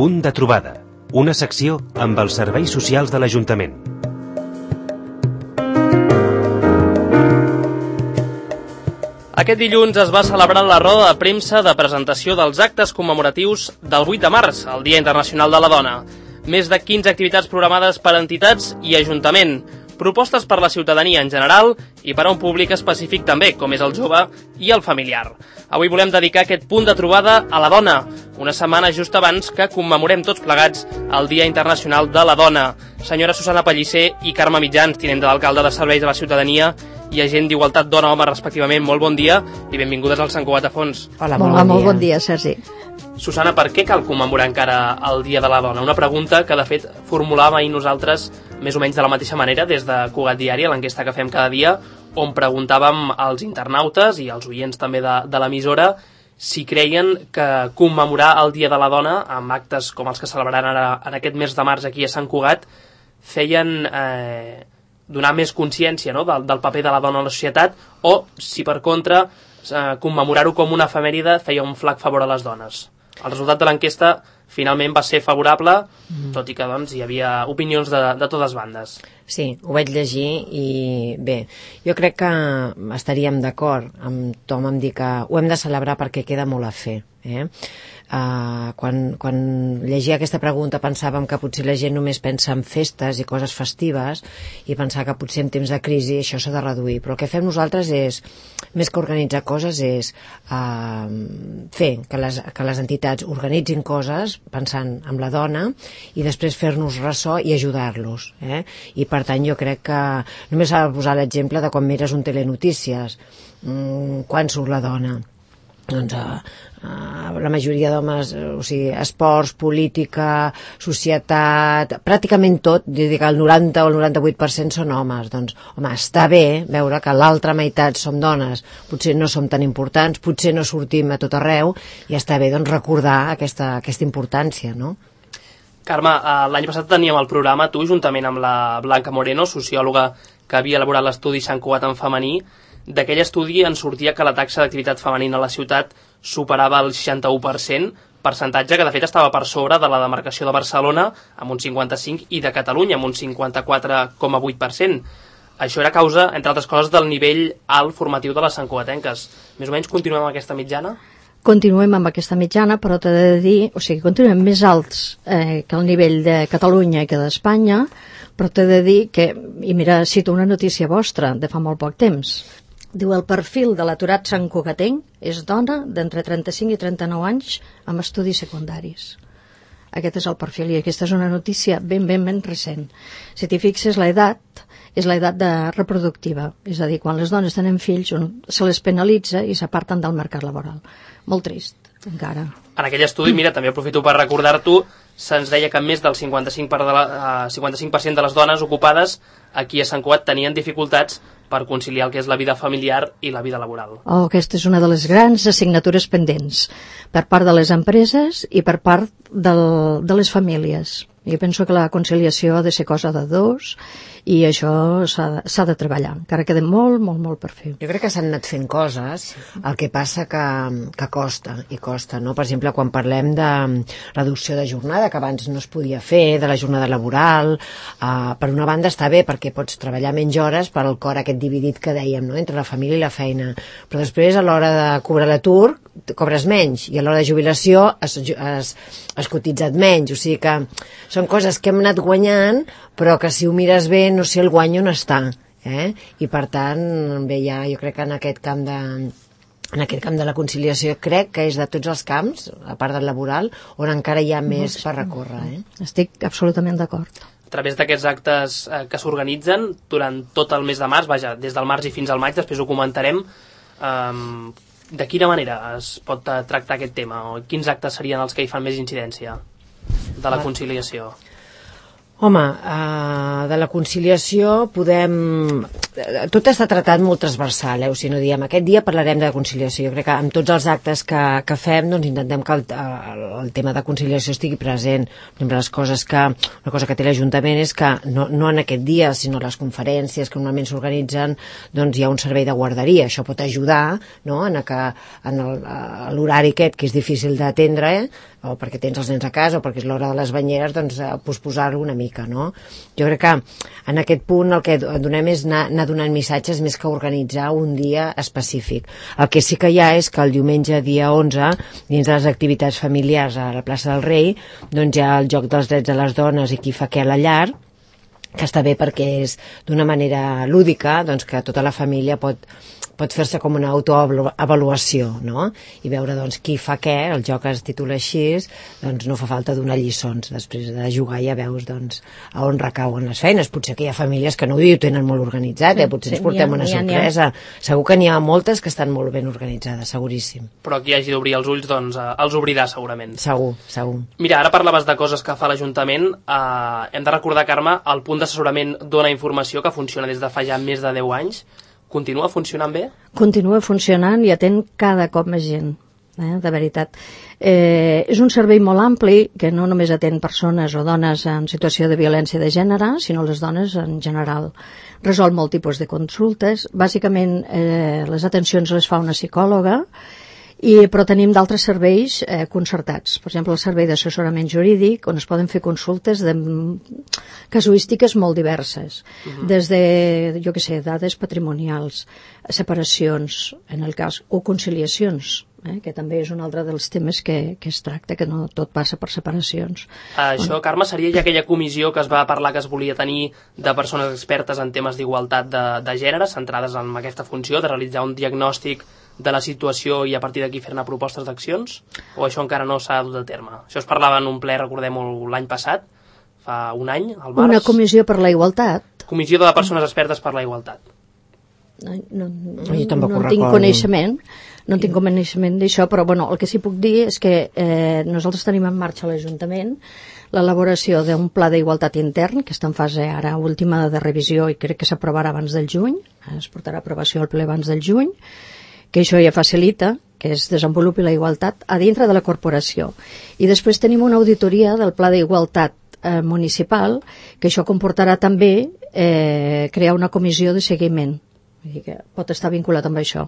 Punt de trobada, una secció amb els serveis socials de l'Ajuntament. Aquest dilluns es va celebrar la roda de premsa de presentació dels actes commemoratius del 8 de març, el Dia Internacional de la Dona. Més de 15 activitats programades per entitats i Ajuntament, propostes per la ciutadania en general i per a un públic específic també, com és el jove i el familiar. Avui volem dedicar aquest punt de trobada a la dona, una setmana just abans que commemorem tots plegats el Dia Internacional de la Dona. Senyora Susana Pellicer i Carme Mitjans, tinent de l'alcalde de Serveis de la Ciutadania i agent d'Igualtat Dona-Home, respectivament, molt bon dia i benvingudes al Sant Cugat a Fons. Hola, molt bon dia, Sergi. Susana, per què cal commemorar encara el Dia de la Dona? Una pregunta que, de fet, formulàvem ahir nosaltres més o menys de la mateixa manera des de Cugat Diari, l'enquesta que fem cada dia, on preguntàvem als internautes i als oients també de l'emissora si creien que commemorar el Dia de la Dona amb actes com els que celebraran ara en aquest mes de març aquí a Sant Cugat feien donar més consciència, no?, del paper de la dona a la societat, o si per contra commemorar-ho com una efemèride feia un flac favor a les dones. El resultat de l'enquesta finalment va ser favorable, tot i que doncs, hi havia opinions de totes bandes. Sí, ho vaig llegir i bé, jo crec que estaríem d'acord amb Tom en dir que ho hem de celebrar perquè queda molt a fer. Quan llegia aquesta pregunta pensàvem que potser la gent només pensa en festes i coses festives i pensar que potser en temps de crisi això s'ha de reduir, però el que fem nosaltres és, més que organitzar coses, és fer que les entitats organitzin coses pensant en la dona i després fer-nos ressò i ajudar-los, i per tant jo crec que només s'ha de posar l'exemple de quan mires un telenotícies, quan surt la dona, doncs la majoria d'homes, o sigui, esports, política, societat, pràcticament tot, dic que el 90 o el 98% són homes. Doncs, home, està bé veure que l'altra meitat som dones, potser no som tan importants, potser no sortim a tot arreu, i està bé doncs recordar aquesta importància, no? Carme, l'any passat teníem el programa, tu, juntament amb la Blanca Moreno, sociòloga que havia elaborat l'estudi Sant Cugat en femení. D'aquell estudi en sortia que la taxa d'activitat femenina a la ciutat superava el 61%, percentatge que de fet estava per sobre de la demarcació de Barcelona amb un 55% i de Catalunya amb un 54,8%. Això era causa, entre altres coses, del nivell alt formatiu de les santcugatenques. Més o menys continuem amb aquesta mitjana? Continuem amb aquesta mitjana, però t'he de dir, o sigui, continuem més alts que el nivell de Catalunya i que d'Espanya, però t'he de dir que, i mira, cito una notícia vostra de fa molt poc temps, diu el perfil de l'aturat santcugatenc és dona d'entre 35 i 39 anys amb estudis secundaris. Aquest és el perfil i aquesta és una notícia ben recent. Si t'hi fixes, l'edat és l'edat reproductiva, és a dir, quan les dones tenen fills se les penalitza i s'aparten del mercat laboral. Molt trist, encara. En aquell estudi, mira, també aprofito per recordar-t'ho, se'ns deia que més del 55% de les dones ocupades aquí a Sant Cugat tenien dificultats per conciliar el que és la vida familiar i la vida laboral. Aquesta és una de les grans assignatures pendents per part de les empreses i per part de les famílies. Jo penso que la conciliació ha de ser cosa de dos i això s'ha de treballar. Encara queda molt per fer. Jo crec que s'han anat fent coses, el que passa que costa, no? Per exemple, quan parlem de reducció de jornada, que abans no es podia fer, de la jornada laboral, per una banda està bé perquè pots treballar menys hores per al cor aquest dividit que dèiem, no?, entre la família i la feina, però després a l'hora de cobrar l'atur cobres menys i a l'hora de jubilació has cotitzat menys, o sigui que són coses que hem anat guanyant però que si ho mires bé no sé el guany on està, i per tant bé, jo crec que en aquest camp de la conciliació crec que és de tots els camps, a part del laboral, on encara hi ha més per recórrer. Estic absolutament d'acord. A través d'aquests actes que s'organitzen durant tot el mes de març, vaja, des del març i fins al maig, després ho comentarem, de quina manera es pot tractar aquest tema? O quins actes serien els que hi fan més incidència de la conciliació? Home, de la conciliació podem... Tot està tratat molt transversal, o sigui, no diem aquest dia parlarem de conciliació. Jo crec que amb tots els actes que fem doncs intentem que el tema de conciliació estigui present. Per exemple, una cosa que té l'Ajuntament és que no en aquest dia, sinó les conferències que normalment s'organitzen, doncs hi ha un servei de guarderia. Això pot ajudar, no?, en l'horari aquest, que és difícil d'atendre, o perquè tens els nens a casa o perquè és l'hora de les banyeres, doncs posposar-ho una mica, no? Jo crec que en aquest punt el que donem és anar donant missatges més que organitzar un dia específic. El que sí que hi ha és que el diumenge dia 11, dins de les activitats familiars a la plaça del Rei, doncs hi ha el joc dels drets de les dones i qui fa què a la llar, que està bé perquè és d'una manera lúdica, doncs que tota la família pot fer-se com una autoavaluació, no? I veure doncs qui fa què, el joc es titula així, doncs no fa falta donar lliçons, després de jugar ja veus doncs a on recauen les feines. Potser que hi ha famílies que no ho tenen molt organitzat, potser ens portem una sorpresa. Segur que n'hi ha moltes que estan molt ben organitzades, seguríssim. Però qui hagi d'obrir els ulls, doncs els obrirà segurament. Segur. Mira, ara parlaves de coses que fa l'Ajuntament. Hem de recordar, Carme, el punt d'assessorament Dona Informació, que funciona des de fa ja més de 10 anys. Continua funcionant bé? Continua funcionant i atén cada cop més gent, de veritat. És un servei molt ampli que no només atén persones o dones en situació de violència de gènere, sinó les dones en general. Resol molt tipus de consultes. Bàsicament, les atencions les fa una psicòloga, però tenim d'altres serveis concertats. Per exemple, el servei d'assessorament jurídic, on es poden fer consultes de casuístiques molt diverses, des de, jo què sé, dades patrimonials, separacions, en el cas, o conciliacions, que també és un altre dels temes que es tracta, que no tot passa per separacions. Això, Carme, seria ja aquella comissió que es va parlar que es volia tenir de persones expertes en temes d'igualtat de gènere, centrades en aquesta funció de realitzar un diagnòstic de la situació i a partir d'aquí fer-ne propostes d'accions? O això encara no s'ha dut a terme? Això es parlava en un ple, recordem-ho, l'any passat, fa un any, al març. Una comissió per la igualtat. Comissió de persones expertes per la igualtat. No tinc coneixement, no tinc coneixement d'això, però bueno, el que sí puc dir és que nosaltres tenim en marxa a l'Ajuntament l'elaboració d'un pla d'igualtat intern, que està en fase ara última de revisió i crec que s'aprovarà abans del juny, es portarà a aprovació al ple abans del juny, que això ja facilita que es desenvolupi la igualtat a dintre de la corporació. I després tenim una auditoria del pla d'igualtat municipal, que això comportarà també crear una comissió de seguiment. Vull dir que pot estar vinculat amb això.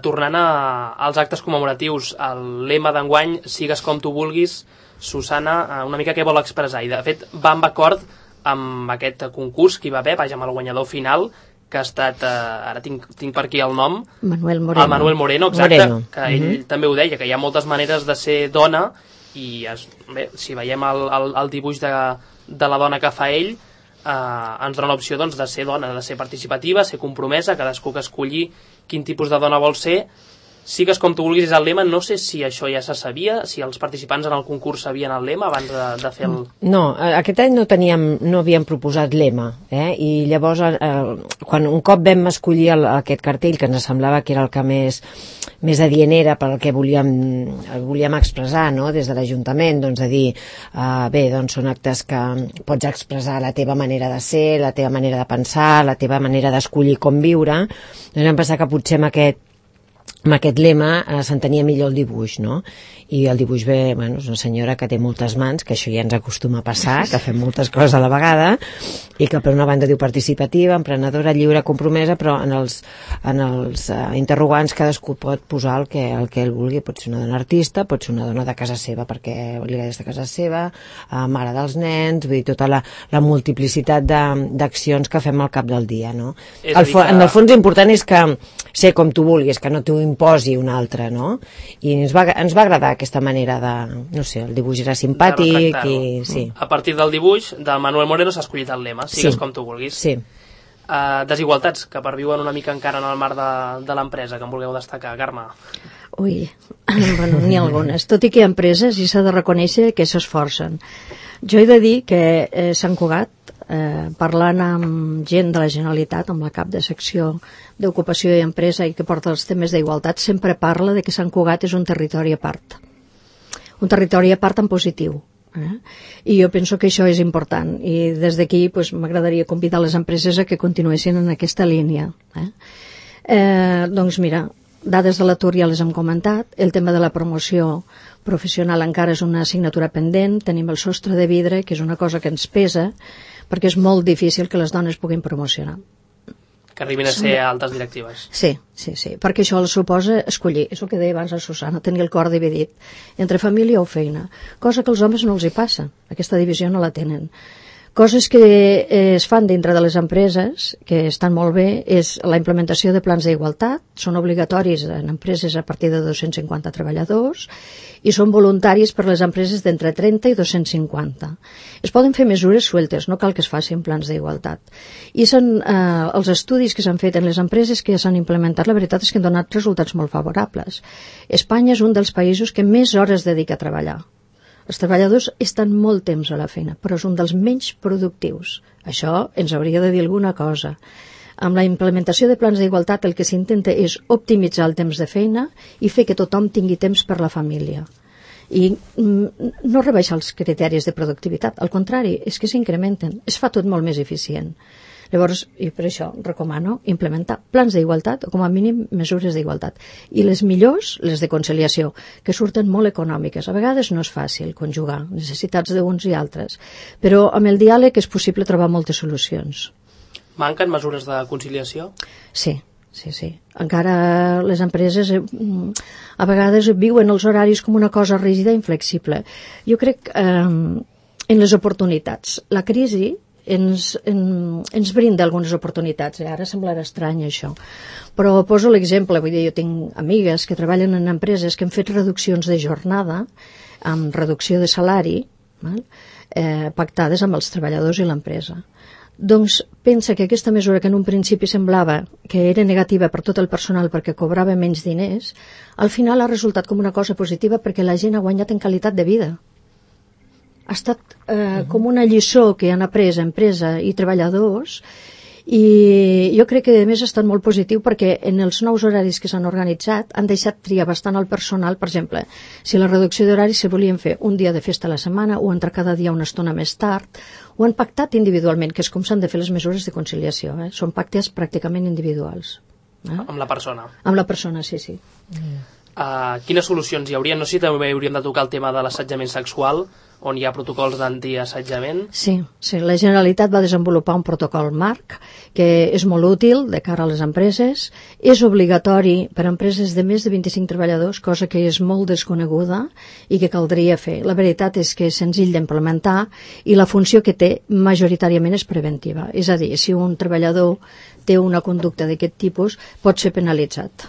Tornant als actes commemoratius, el lema d'enguany, sigues com tu vulguis, Susana, una mica què vol expressar? I de fet va amb acord amb aquest concurs que hi va haver, vaja, amb el guanyador final, que ha estat, ara tinc per aquí el nom, Manuel Moreno. El Manuel Moreno, exacte, que ell també ho deia, que hi ha moltes maneres de ser dona i bé, si veiem el dibuix de la dona que fa ell, ens dona l'opció doncs, de ser dona, de ser participativa, ser compromesa, cadascú que escolli quin tipus de dona vol ser. Sigues com tu vulguis és el lema. No sé si això ja se sabia, si els participants en el concurs sabien el lema abans de fer el... No, aquest any no havíem proposat lema, i llavors quan un cop vam escollir aquest cartell, que ens semblava que era el que més adient era per el que volíem expressar, no? Des de l'Ajuntament, doncs de dir bé, doncs són actes que pots expressar la teva manera de ser, la teva manera de pensar, la teva manera d'escollir com viure, doncs vam pensar que potser amb aquest lema s'entenia millor el dibuix, no? I el dibuix ve, bueno, és una senyora que té moltes mans, que això ja ens acostuma a passar, que fem moltes coses a la vegada, i que per una banda diu participativa, emprenedora, lliure, compromesa, però en els interrogants cadascú pot posar el que ell vulgui. Pot ser una dona artista, pot ser una dona de casa seva, perquè li agrada de casa seva, mare dels nens, vull dir, tota la multiplicitat d'accions que fem al cap del dia, no? En el fons important és que ser com tu vulguis, que no t'ho imposi un altre, no? I ens va agradar aquesta manera de... No sé, el dibuix era simpàtic i... Sí. A partir del dibuix del Manuel Moreno s'ha escollit el lema, sigues com tu vulguis. Sí. Desigualtats que perviuen una mica encara en el marc de l'empresa, que em vulgueu destacar, Carme? Ui, bueno, n'hi ha algunes. Tot i que hi ha empreses i s'ha de reconèixer que s'esforcen. Jo he de dir que Sant Cugat, parlant amb gent de la Generalitat, amb la cap de secció d'Ocupació i Empresa i que porta els temes d'igualtat, sempre parla de que Sant Cugat és un territori a part. Un territori a part en positiu. I jo penso que això és important i des d'aquí m'agradaria convidar les empreses a que continuessin en aquesta línia. Doncs mira, dades de l'atur ja les hem comentat, el tema de la promoció professional encara és una assignatura pendent, tenim el sostre de vidre, que és una cosa que ens pesa, perquè és molt difícil que les dones puguin promocionar. que arribin a ser altes directives. Sí, perquè això suposa escollir, és el que deia abans la Susana, tenir el cor dividit entre família o feina, cosa que als homes no els hi passa, aquesta divisió no la tenen. Coses que es fan dintre de les empreses, que estan molt bé, és la implementació de plans d'igualtat, són obligatoris en empreses a partir de 250 treballadors i són voluntaris per les empreses d'entre 30 i 250. Es poden fer mesures sueltes, no cal que es facin plans d'igualtat. I són els estudis que s'han fet en les empreses que ja s'han implementat, la veritat és que han donat resultats molt favorables. Espanya és un dels països que més hores dedica a treballar. Els treballadors estan molt temps a la feina, però és un dels menys productius. Això ens hauria de dir alguna cosa. Amb la implementació de plans d'igualtat el que s'intenta és optimitzar el temps de feina i fer que tothom tingui temps per la família. I no rebaixar els criteris de productivitat, al contrari, és que s'incrementen, es fa tot molt més eficient. Llavors, i per això recomano implementar plans d'igualtat o com a mínim mesures d'igualtat. I les millors, les de conciliació, que surten molt econòmiques. A vegades no és fàcil conjugar necessitats d'uns i altres, però amb el diàleg és possible trobar moltes solucions. Manquen mesures de conciliació? Sí. Encara les empreses a vegades viuen els horaris com una cosa rígida i inflexible. Jo crec en les oportunitats. La crisi ens brinda algunes oportunitats, ara semblarà estrany això, però poso l'exemple, vull dir, jo tinc amigues que treballen en empreses que han fet reduccions de jornada amb reducció de salari pactades amb els treballadors i l'empresa. Doncs pensa que aquesta mesura que en un principi semblava que era negativa per tot el personal perquè cobrava menys diners, al final ha resultat com una cosa positiva perquè la gent ha guanyat en qualitat de vida. Ha estat com una lliçó que han après empresa i treballadors i jo crec que a més ha estat molt positiu perquè en els nous horaris que s'han organitzat han deixat triar bastant al personal. Per exemple, si la reducció d'horaris se volien fer un dia de festa a la setmana o entrar cada dia una estona més tard, ho han pactat individualment, que és com s'han de fer les mesures de conciliació, són pactes pràcticament individuals. Amb la persona? Amb la persona, sí. Quines solucions hi haurien? No sé si també hauríem de tocar el tema de l'assetjament sexual, on hi ha protocols d'antiassetjament. Sí, la Generalitat va desenvolupar un protocol marc que és molt útil de cara a les empreses, és obligatori per a empreses de més de 25 treballadors, cosa que és molt desconeguda i que caldria fer. La veritat és que és senzill d'implementar i la funció que té majoritàriament és preventiva. És a dir, si un treballador té una conducta d'aquest tipus, pot ser penalitzat.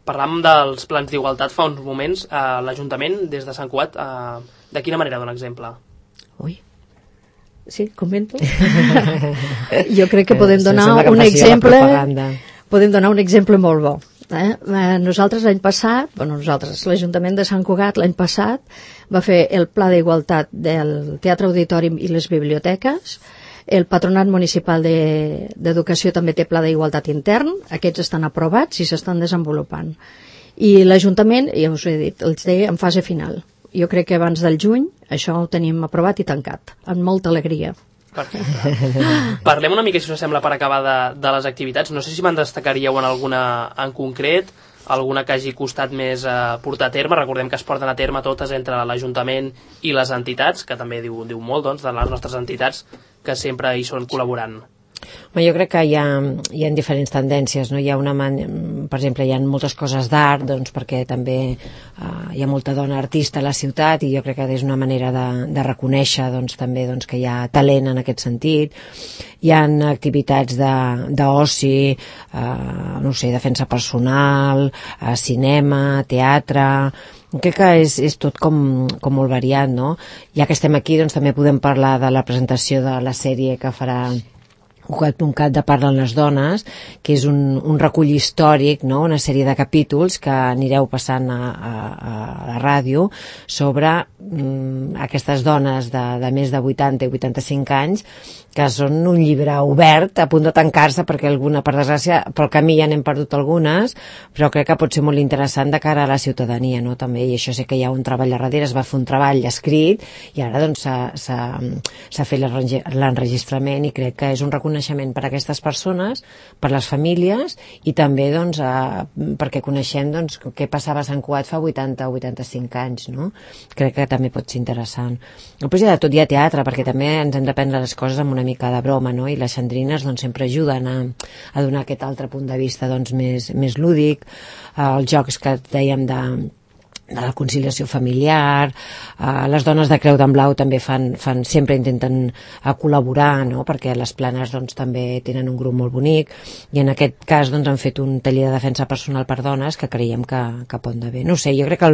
Parlàvem dels plans d'igualtat fa uns moments. L'Ajuntament, des de Sant Cugat, de quina manera dona exemple? Ui, sí, comento. Jo crec que podem donar un exemple. Podem donar un exemple molt bo. Nosaltres l'any passat, l'Ajuntament de Sant Cugat l'any passat va fer el pla d'igualtat del Teatre Auditori i les biblioteques. El Patronat Municipal d'Educació també té pla d'igualtat intern, aquests estan aprovats i s'estan desenvolupant. I l'Ajuntament, ja us ho he dit, els té en fase final. Jo crec que abans del juny això ho tenim aprovat i tancat, amb molta alegria. Perfecte. Parlem una mica, si us sembla, per acabar de les activitats. No sé si me'n destacaríeu en alguna en concret, alguna que hagi costat més portar a terme. Recordem que es porten a terme totes entre l'Ajuntament i les entitats, que també diu molt de les nostres entitats que sempre hi són col·laborant. Jo crec que hi ha diferents tendències, no? Per exemple, hi ha moltes coses d'art, perquè també hi ha molta dona artista a la ciutat i jo crec que és una manera de reconèixer també que hi ha talent en aquest sentit. Hi ha activitats d'oci, defensa personal, cinema, teatre. Crec que és tot com molt variat, no? Ja que estem aquí, també podem parlar de la presentació de la sèrie que farà Cugat.cat de Parlen les dones, que és un recull històric, no? Una sèrie de capítols que anireu passant a la ràdio sobre aquestes dones de més de 80 i 85 anys que són un llibre obert a punt de tancar-se perquè alguna, per desgràcia, pel camí ja n'hem perdut algunes, però crec que pot ser molt interessant de cara a la ciutadania, no? També, i això sé que hi ha un treball a darrere, es va fer un treball escrit i ara s'ha fet l'enregistrament i crec que és un reconeixement coneixement per a aquestes persones, per les famílies, i també doncs, perquè coneixem doncs, què passava a Sant Cugat fa 80 o 85 anys, no? Crec que també pot ser interessant. Després hi ha de tot, hi ha teatre, perquè també ens hem de prendre les coses amb una mica de broma, no? I les xandrines doncs, sempre ajuden a donar aquest altre punt de vista doncs, més lúdic, els jocs que dèiem de la conciliació familiar, les dones de Creu d'en Blau també sempre intenten col·laborar, no? Perquè les planes doncs, també tenen un grup molt bonic, i en aquest cas doncs, han fet un taller de defensa personal per dones que creiem que pot anar bé. No sé, jo crec que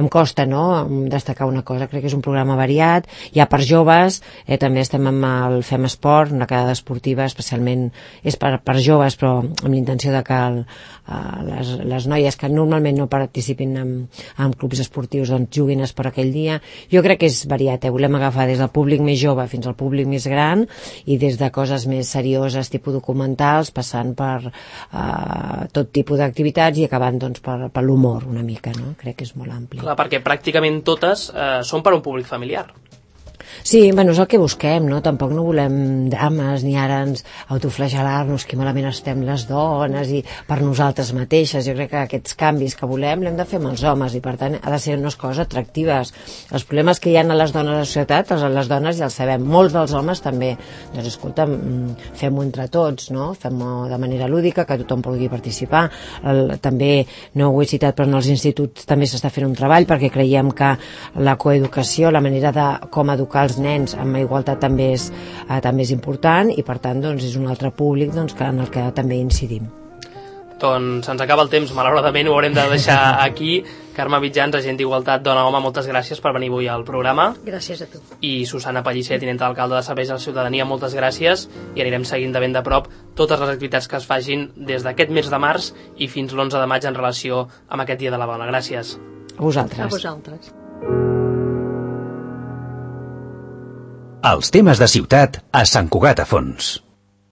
em costa, no?, destacar una cosa, crec que és un programa variat, hi ha per joves, també estem amb el Fem Esport, una quedada esportiva, especialment és per joves, però amb l'intenció de que les noies que normalment no participin en clubs esportius doncs juguin per aquell dia. Jo crec que és variat, volem agafar des del públic més jove fins al públic més gran, i des de coses més serioses tipus documentals, passant per tot tipus d'activitats i acabant doncs, per l'humor una mica, no? Crec que és molt ampli. Clar, perquè pràcticament totes són per un públic familiar. Sí, bueno, és el que busquem, no? Tampoc no volem drames, ni ara ens autoflagelar-nos que malament estem les dones i per nosaltres mateixes. Jo crec que aquests canvis que volem l'hem de fer amb els homes, i per tant ha de ser unes coses atractives. Els problemes que hi ha a les dones a la societat, les dones ja els sabem, molts dels homes també. Doncs escolta, fem-ho entre tots, no? Fem-ho de manera lúdica, que tothom pugui participar. També, no ho he citat, però en els instituts també s'està fent un treball, perquè creiem que la coeducació, la manera de com educar els nens amb igualtat també és important, i per tant doncs, és un altre públic doncs, en el que també incidim. Doncs se'ns acaba el temps, malauradament ho haurem de deixar aquí. Carme Mitjans, agent d'Igualtat Dona-Home, moltes gràcies per venir avui al programa. Gràcies a tu. I Susana Pellicer, tinenta d'alcalde de Serveis a la Ciutadania, moltes gràcies, i anirem seguint de ben de prop totes les activitats que es facin des d'aquest mes de març i fins l'11 de maig en relació amb aquest Dia de la Dona. Gràcies. A vosaltres. A vosaltres. Els temes de ciutat a Sant Cugat a Fons.